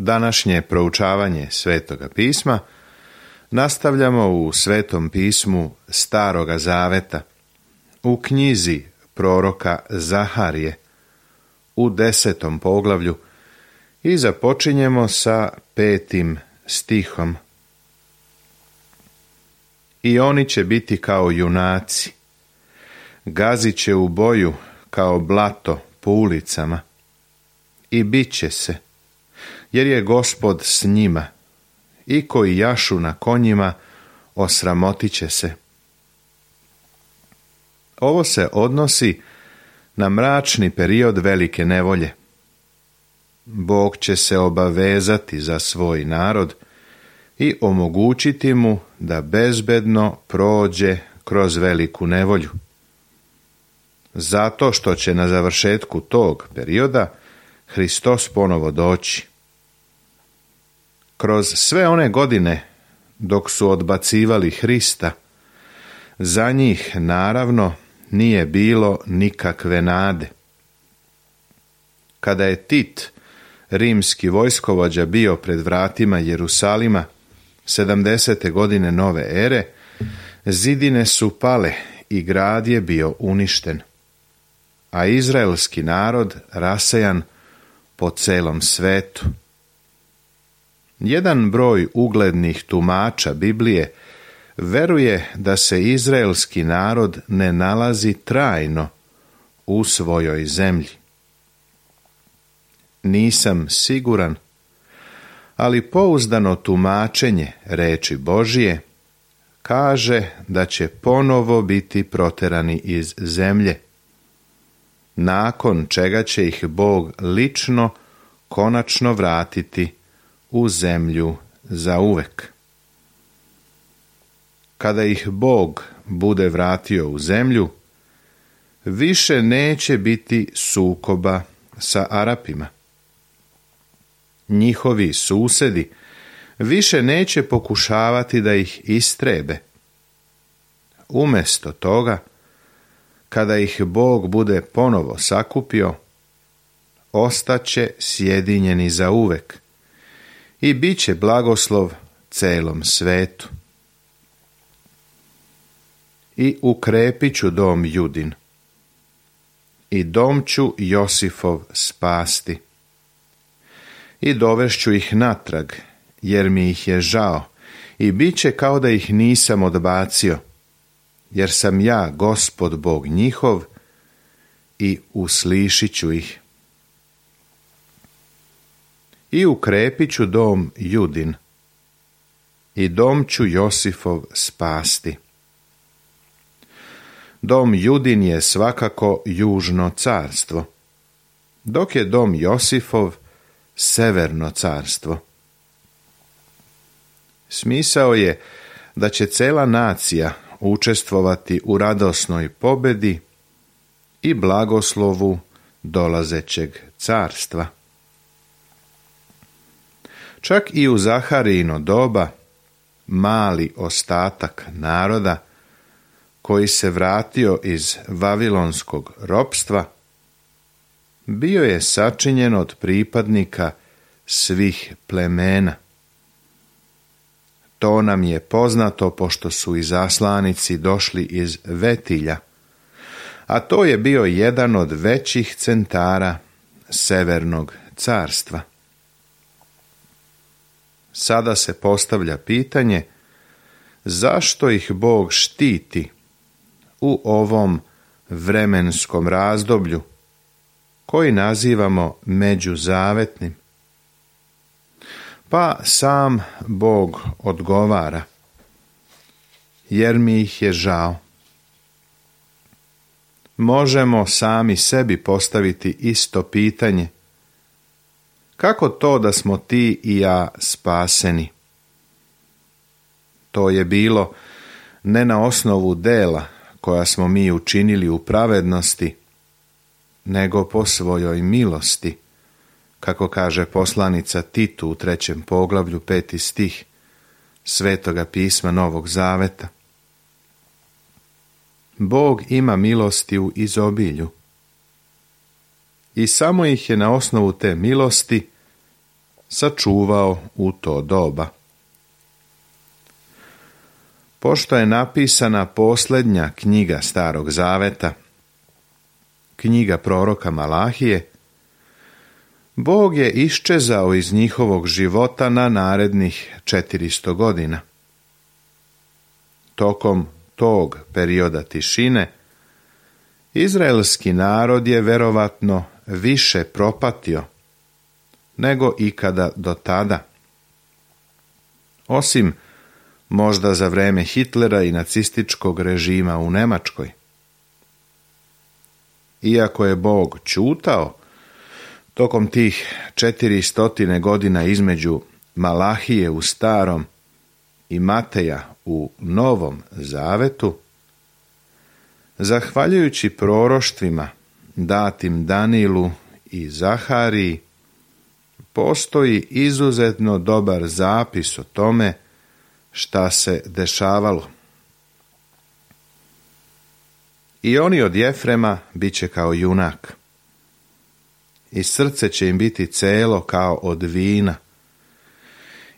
Današnje proučavanje Svetoga pisma nastavljamo u Svetom pismu Staroga Zaveta, u knjizi proroka Zaharije, u 10. poglavlju i započinjemo sa 5. stihom. I oni će biti kao junaci, gazit će u boju kao blato po ulicama i bit će se, jer je Gospod s njima, i koji jašu na konjima osramotit će se. Ovo se odnosi na mračni period velike nevolje. Bog će se obavezati za svoj narod i omogućiti mu da bezbedno prođe kroz veliku nevolju. Zato što će na završetku tog perioda Hristos ponovo doći. Kroz sve one godine dok su odbacivali Hrista, za njih naravno nije bilo nikakve nade. Kada je Tit, rimski vojskovođa, bio pred vratima Jerusalima 70. godine nove ere, zidine su pale i grad je bio uništen, a izraelski narod rasejan po celom svetu. Jedan broj uglednih tumača Biblije veruje da se izraelski narod ne nalazi trajno u svojoj zemlji. Nisam siguran, ali pouzdano tumačenje reči Božije kaže da će ponovo biti proterani iz zemlje, nakon čega će ih Bog lično konačno vratiti u zemlju zauvek. Kada ih Bog bude vratio u zemlju, više neće biti sukoba sa Arapima. Njihovi susedi više neće pokušavati da ih istrebe. Umjesto toga, kada ih Bog bude ponovo sakupio, ostaće sjedinjeni zauvek i bit će blagoslov celom svetu. I ukrepit ću dom Judin, i dom ću Josifov spasti, i dovešću ih natrag, jer mi ih je žao, i bit će kao da ih nisam odbacio, jer sam ja Gospod Bog njihov i uslišit ću ih. I ukrepit ću dom Judin, i dom ću Josifov spasti. Dom Judin je svakako južno carstvo, dok je dom Josifov severno carstvo. Smisao je da će cela nacija učestvovati u radosnoj pobedi i blagoslovu dolazećeg carstva. Čak i u Zaharijino doba mali ostatak naroda koji se vratio iz vavilonskog ropstva bio je sačinjen od pripadnika svih plemena. To nam je poznato pošto su izaslanici došli iz Vetilja, a to je bio jedan od većih centara severnog carstva. Sada se postavlja pitanje zašto ih Bog štiti u ovom vremenskom razdoblju koji nazivamo međuzavetnim. Pa sam Bog odgovara, jer mi ih je žao. Možemo sami sebi postaviti isto pitanje. Kako to da smo ti i ja spaseni? To je bilo ne na osnovu dela koja smo mi učinili u pravednosti, nego po svojoj milosti, kako kaže poslanica Titu u 3. poglavlju 5. stih Svetoga pisma Novog Zaveta. Bog ima milosti u izobilju i samo ih je na osnovu te milosti sačuvao u to doba. Pošto je napisana posljednja knjiga Starog Zaveta, knjiga proroka Malahije, Bog je iščezao iz njihovog života na narednih 400 godina. Tokom tog perioda tišine, izraelski narod je verovatno više propatio nego ikada do tada. Osim možda za vreme Hitlera i nacističkog režima u Nemačkoj. Iako je Bog ćutao tokom tih 400 godina između Malahije u Starom i Mateja u Novom Zavetu, zahvaljujući proroštvima datim Danilu i Zahariji, postoji izuzetno dobar zapis o tome šta se dešavalo. I oni od Jefrema bit će kao junak, i srce će im biti celo kao od vina,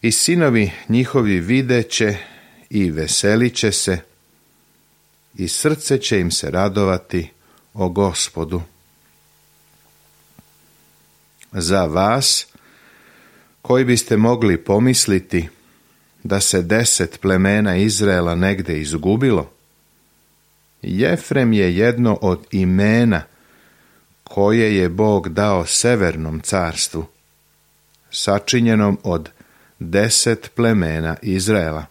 i sinovi njihovi videće i veselit će se, i srce će im se radovati o Gospodu. Za vas, koji biste mogli pomisliti da se 10 plemena Izraela negde izgubilo, Jefrem je jedno od imena koje je Bog dao Severnom carstvu, sačinjenom od 10 plemena Izraela.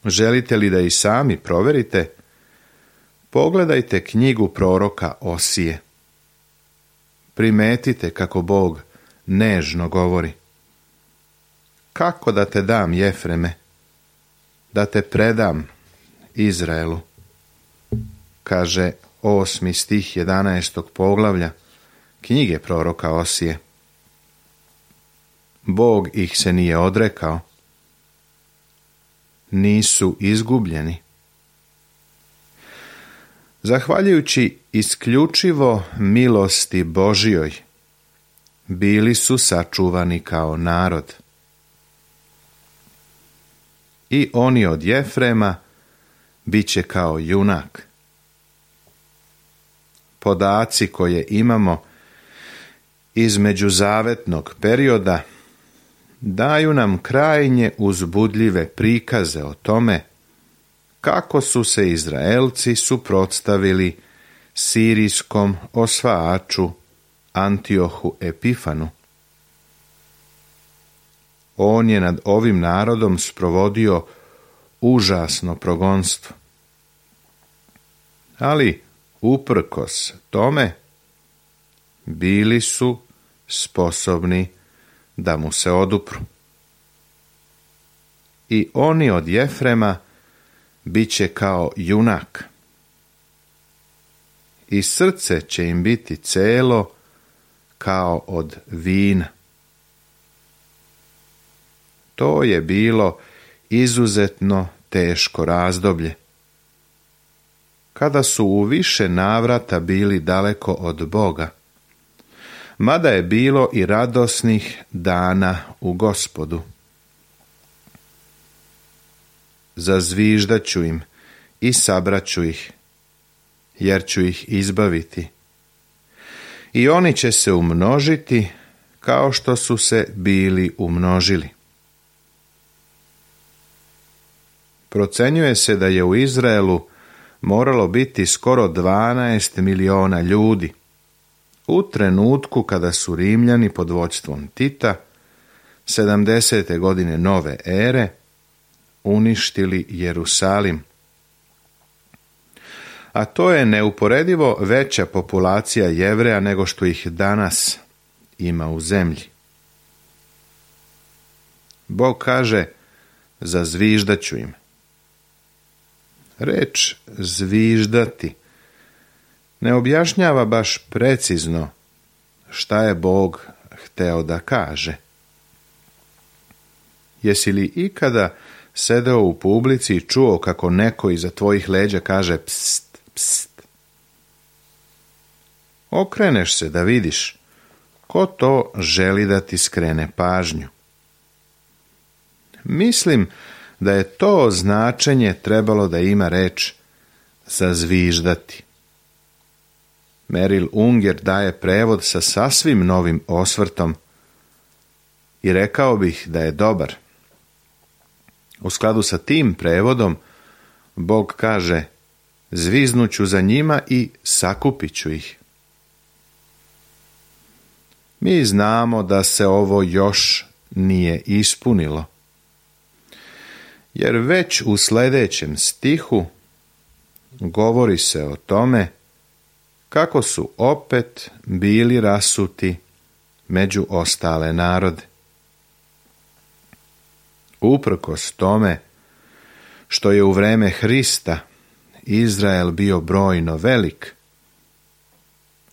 Želite li da i sami proverite? Pogledajte knjigu proroka Osije. Primetite kako Bog nežno govori. Kako da te dam, Jefreme, da te predam Izraelu, kaže 8. stih 11. poglavlja knjige proroka Osije. Bog ih se nije odrekao. Nisu izgubljeni. Zahvaljujući isključivo milosti Božjoj, bili su sačuvani kao narod. I oni od Jefrema bit će kao junak. Podaci koje imamo iz međuzavetnog perioda daju nam krajnje uzbudljive prikaze o tome kako su se Izraelci suprotstavili sirijskom osvajaču Antiohu Epifanu. On je nad ovim narodom sprovodio užasno progonstvo. Ali, uprkos tome, bili su sposobni da mu se odupru. I oni od Jefrema bit će kao junak. I srce će im biti celo kao od vina. To je bilo izuzetno teško razdoblje, kada su u više navrata bili daleko od Boga, mada je bilo i radosnih dana u Gospodu. Zazviždat ću im i sabraću ih, jer ću ih izbaviti. I oni će se umnožiti kao što su se bili umnožili. Procenjuje se da je u Izraelu moralo biti skoro 12 miliona ljudi u trenutku kada su Rimljani pod vođstvom Tita 70. godine nove ere uništili Jerusalim. A to je neuporedivo veća populacija Jevreja nego što ih danas ima u zemlji. Bog kaže, zazviždat ću im. Reč zviždati ne objašnjava baš precizno šta je Bog hteo da kaže. Jesi li ikada sedeo u publici i čuo kako neko iza tvojih leđa kaže pst, pst? Okreneš se da vidiš ko to želi da ti skrene pažnju. Mislim da je to značenje trebalo da ima reč zazviždati. Merrill Unger daje prevod sa sasvim novim osvrtom i rekao bih da je dobar. U skladu sa tim prevodom, Bog kaže: zviznuću za njima i sakupit ću ih. Mi znamo da se ovo još nije ispunilo, jer već u sljedećem stihu govori se o tome kako su opet bili rasuti među ostale narode. Uprkos tome što je u vreme Hrista Izrael bio brojno velik,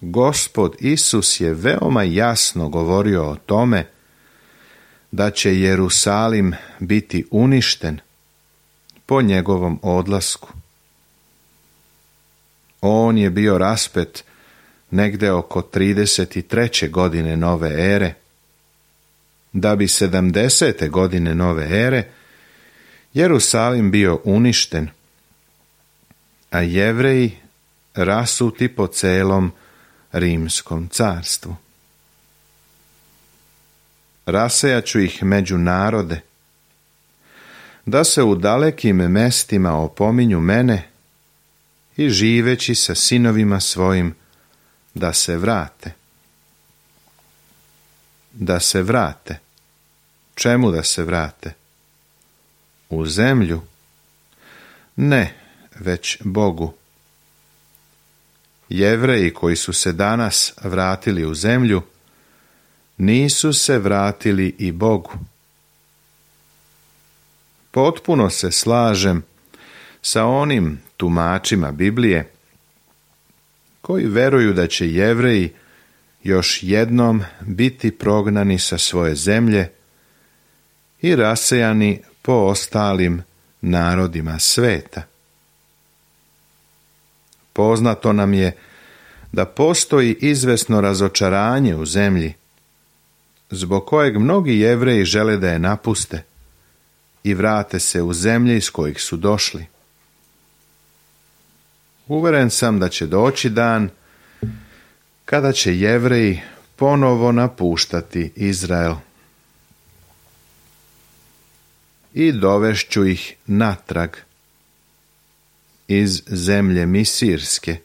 Gospod Isus je veoma jasno govorio o tome da će Jerusalim biti uništen po njegovom odlasku. On je bio raspet negde oko 33. godine nove ere, da bi 70. godine nove ere Jerusalim bio uništen, a Jevreji rasuti po celom Rimskom carstvu. Rasejaću ih među narode, da se u dalekim mestima opominju mene i živeći sa sinovima svojim da se vrate. Da se vrate. Čemu da se vrate? U zemlju? Ne, već Bogu. Jevreji koji su se danas vratili u zemlju, nisu se vratili i Bogu. Potpuno se slažem sa onim tumačima Biblije koji veruju da će Jevreji još jednom biti prognani sa svoje zemlje i rasejani po ostalim narodima sveta. Poznato nam je da postoji izvesno razočaranje u zemlji, zbog kojeg mnogi Jevreji žele da je napuste i vrate se u zemlje iz kojih su došli. Uveren sam da će doći dan kada će Jevreji ponovo napuštati Izrael. I dovešću ih natrag iz zemlje Misirske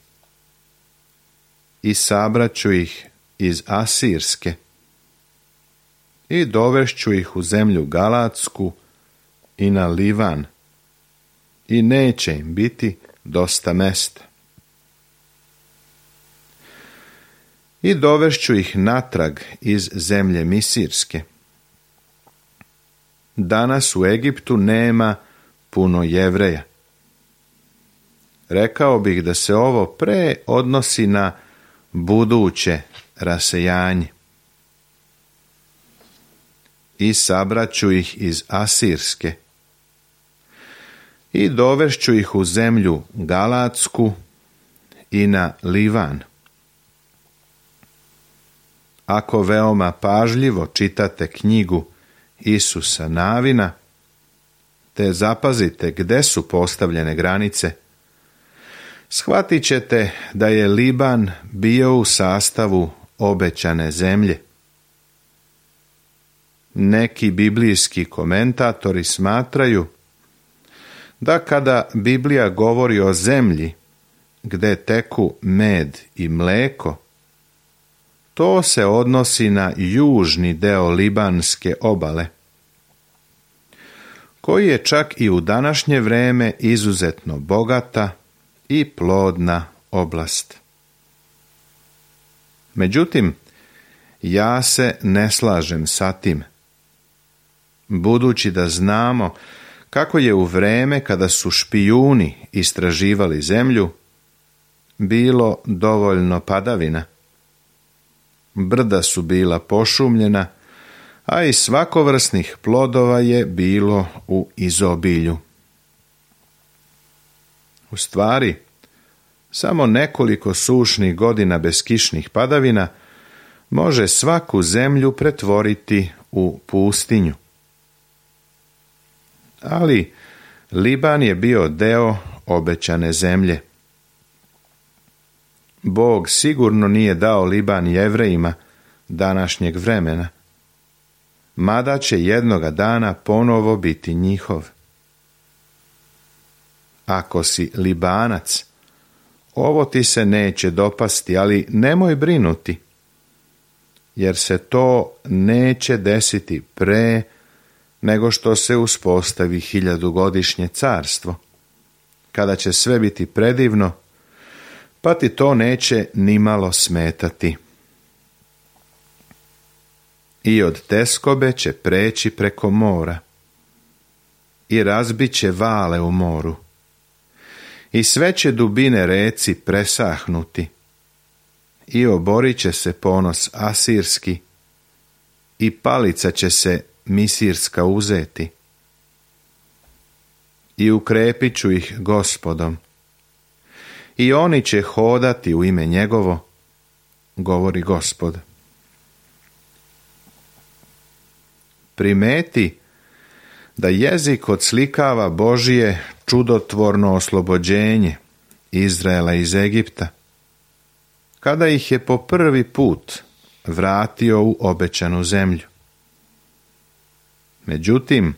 i sabraću ih iz Asirske i dovešću ih u zemlju Galatsku i na Livan i neće im biti dosta mesta. I dovešću ih natrag iz zemlje Misirske. Danas u Egiptu nema puno Jevreja. Rekao bih da se ovo pre odnosi na buduće rasejanje. I sabraću ih iz Asirske. I dovešću ih u zemlju Galatsku i na Livan. Ako veoma pažljivo čitate knjigu Isusa Navina, te zapazite gde su postavljene granice, shvatit ćete da je Liban bio u sastavu obećane zemlje. Neki biblijski komentatori smatraju da kada Biblija govori o zemlji gde teku med i mleko, to se odnosi na južni deo Libanske obale, koji je čak i u današnje vreme izuzetno bogata i plodna oblast. Međutim, ja se ne slažem sa tim, budući da znamo kako je u vreme kada su špijuni istraživali zemlju bilo dovoljno padavina. Brda su bila pošumljena, a i svakovrsnih plodova je bilo u izobilju. U stvari, samo nekoliko sušnih godina bez kišnih padavina može svaku zemlju pretvoriti u pustinju. Ali Liban je bio deo obećane zemlje. Bog sigurno nije dao Liban Jevrejima današnjeg vremena, mada će jednoga dana ponovo biti njihov. Ako si Libanac, ovo ti se neće dopasti, ali nemoj brinuti, jer se to neće desiti pre nego što se uspostavi 1000-godišnje carstvo, kada će sve biti predivno, pa ti to neće nimalo smetati. I od teskobe će preći preko mora i razbit će vale u moru i sve će dubine reci presahnuti i oborit će se ponos asirski i palica će se misirska uzeti i ukrepit ću ih Gospodom i oni će hodati u ime njegovo, govori Gospod. Primeti da jezik odslikava Božije čudotvorno oslobođenje Izraela iz Egipta, kada ih je po prvi put vratio u obećanu zemlju. Međutim,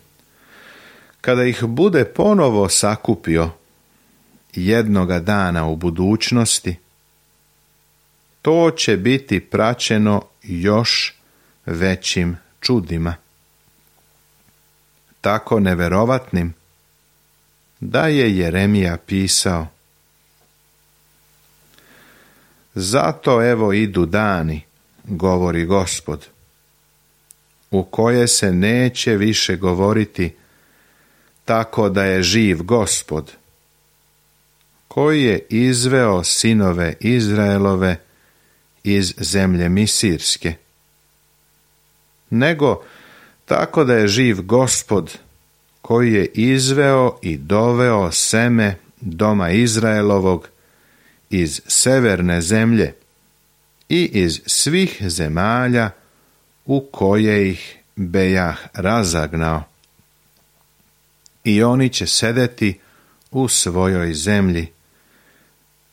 kada ih bude ponovo sakupio jednoga dana u budućnosti, to će biti praćeno još većim čudima, tako neverovatnim da je Jeremija pisao: zato evo idu dani, govori Gospod, u koje se neće više govoriti tako da je živ Gospod, koji je izveo sinove Izraelove iz zemlje misirske, nego tako da je živ Gospod, koji je izveo i doveo seme doma Izraelovog iz severne zemlje i iz svih zemalja u koje ih bejah razagnao. I oni će sedeti u svojoj zemlji,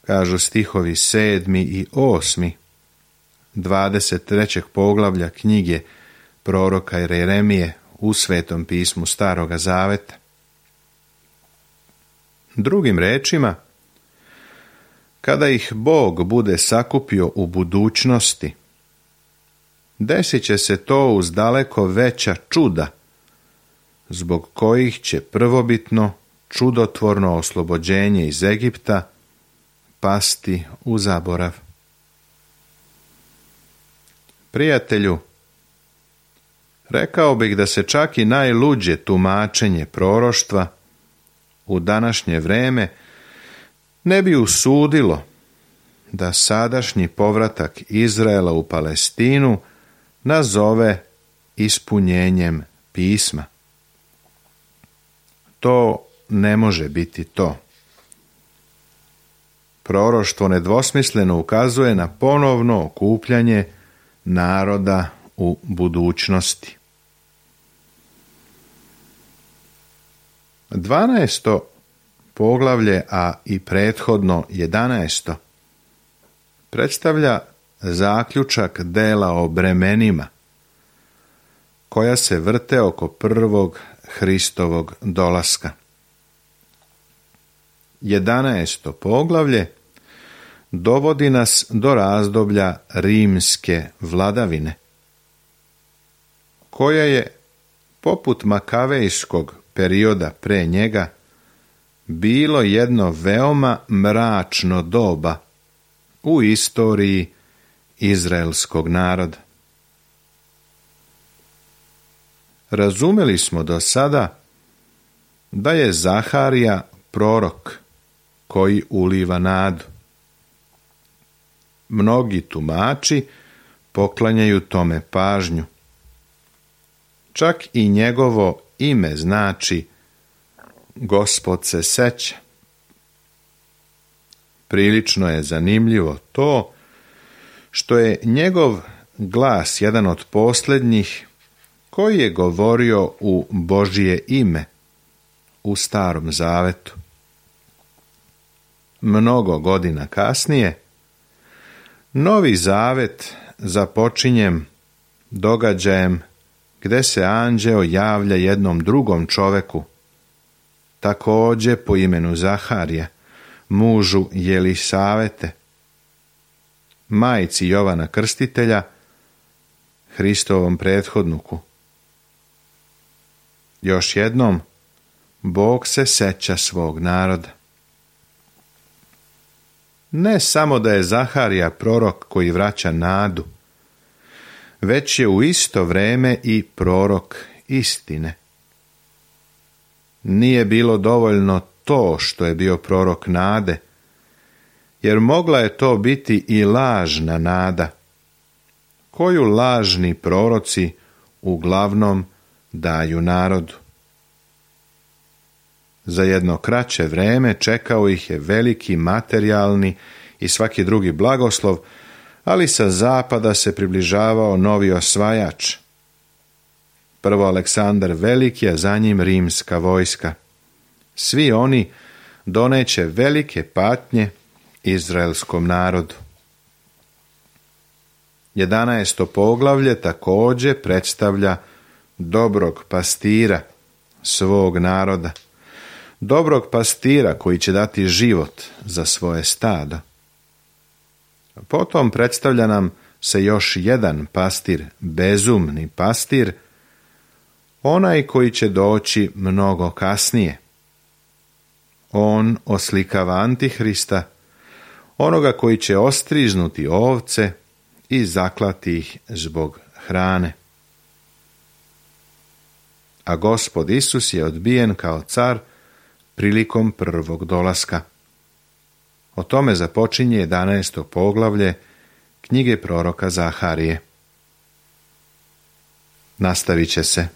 kažu stihovi 7. i 8. 23. poglavlja knjige proroka Jeremije u Svetom pismu Staroga Zaveta. Drugim rečima, kada ih Bog bude sakupio u budućnosti, desit će se to uz daleko veća čuda, zbog kojih će prvobitno čudotvorno oslobođenje iz Egipta pasti u zaborav. Prijatelju, rekao bih da se čak i najluđe tumačenje proroštva u današnje vreme ne bi usudilo da sadašnji povratak Izraela u Palestinu nazove ispunjenjem pisma. To ne može biti to. Proroštvo nedvosmisleno ukazuje na ponovno okupljanje naroda u budućnosti. 12. poglavlje, a i prethodno 11. predstavlja zaključak dela o bremenima, koja se vrte oko prvog Hristovog dolaska. 11. poglavlje dovodi nas do razdoblja rimske vladavine, koja je, poput makavejskog perioda pre njega, bilo jedno veoma mračno doba u istoriji izraelskog naroda. Razumeli smo do sada da je Zaharija prorok koji uliva nadu. Mnogi tumači poklanjaju tome pažnju. Čak i njegovo ime znači Gospod se seća. Prilično je zanimljivo to što je njegov glas, jedan od posljednjih, koji je govorio u Božje ime u Starom Zavetu. Mnogo godina kasnije, Novi Zavet započinje događajem gdje se anđeo javlja jednom drugom čoveku, također po imenu Zaharija, mužu Jelisavete, majci Jovana Krstitelja, Hristovom prethodniku. Još jednom, Bog se seća svog naroda. Ne samo da je Zaharija prorok koji vraća nadu, već je u isto vrijeme i prorok istine. Nije bilo dovoljno to što je bio prorok nade, jer mogla je to biti i lažna nada, koju lažni proroci uglavnom daju narodu. Za jedno kraće vrijeme čekao ih je veliki materijalni i svaki drugi blagoslov, ali sa zapada se približavao novi osvajač. Prvo Aleksandar Veliki, a za njim rimska vojska. Svi oni doneće velike patnje izraelskom narodu. 11. poglavlje također predstavlja dobrog pastira svog naroda. Dobrog pastira koji će dati život za svoje stado. Potom predstavlja nam se još jedan pastir, bezumni pastir, onaj koji će doći mnogo kasnije. On oslikava Antihrista, onoga koji će ostrižnuti ovce i zaklati ih zbog hrane. A Gospod Isus je odbijen kao car prilikom prvog dolaska. O tome započinje 11. poglavlje knjige proroka Zaharije. Nastavit će se.